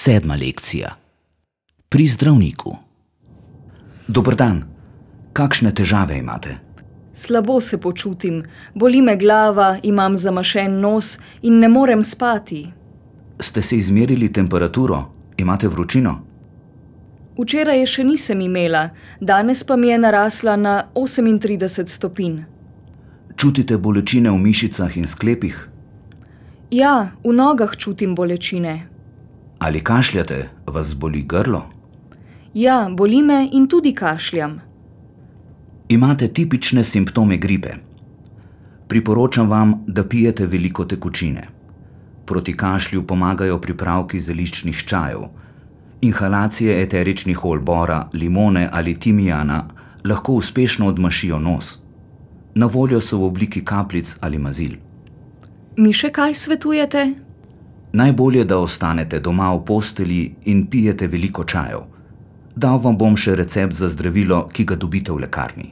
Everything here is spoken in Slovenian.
7. lekcija. Pri zdravniku. Dober dan. Kakšne težave imate? Slabo se počutim, boli me glava, imam zamašen nos in ne morem spati. Ste si izmerili temperaturo? Imate vročino? Včeraj je še nisem imela, danes pa mi je narasla na 38 stopinj. Čutite bolečine v mišicah in sklepih? Ja, v nogah čutim bolečine. Ali kašljate? Vas boli grlo? Ja, boli me in tudi kašljam. Imate tipične simptome gripe. Priporočam vam, da pijete veliko tekočine. Proti kašlju pomagajo pripravki zeliščnih čajev. Inhalacije eteričnih olj bora, limone ali timijana lahko uspešno odmašijo nos. Na voljo so v obliki kapljic ali mazil. Mi še kaj svetujete? Najbolje, da ostanete doma v postelji in pijete veliko čajev. Dal vam bom še recept za zdravilo, ki ga dobite v lekarni.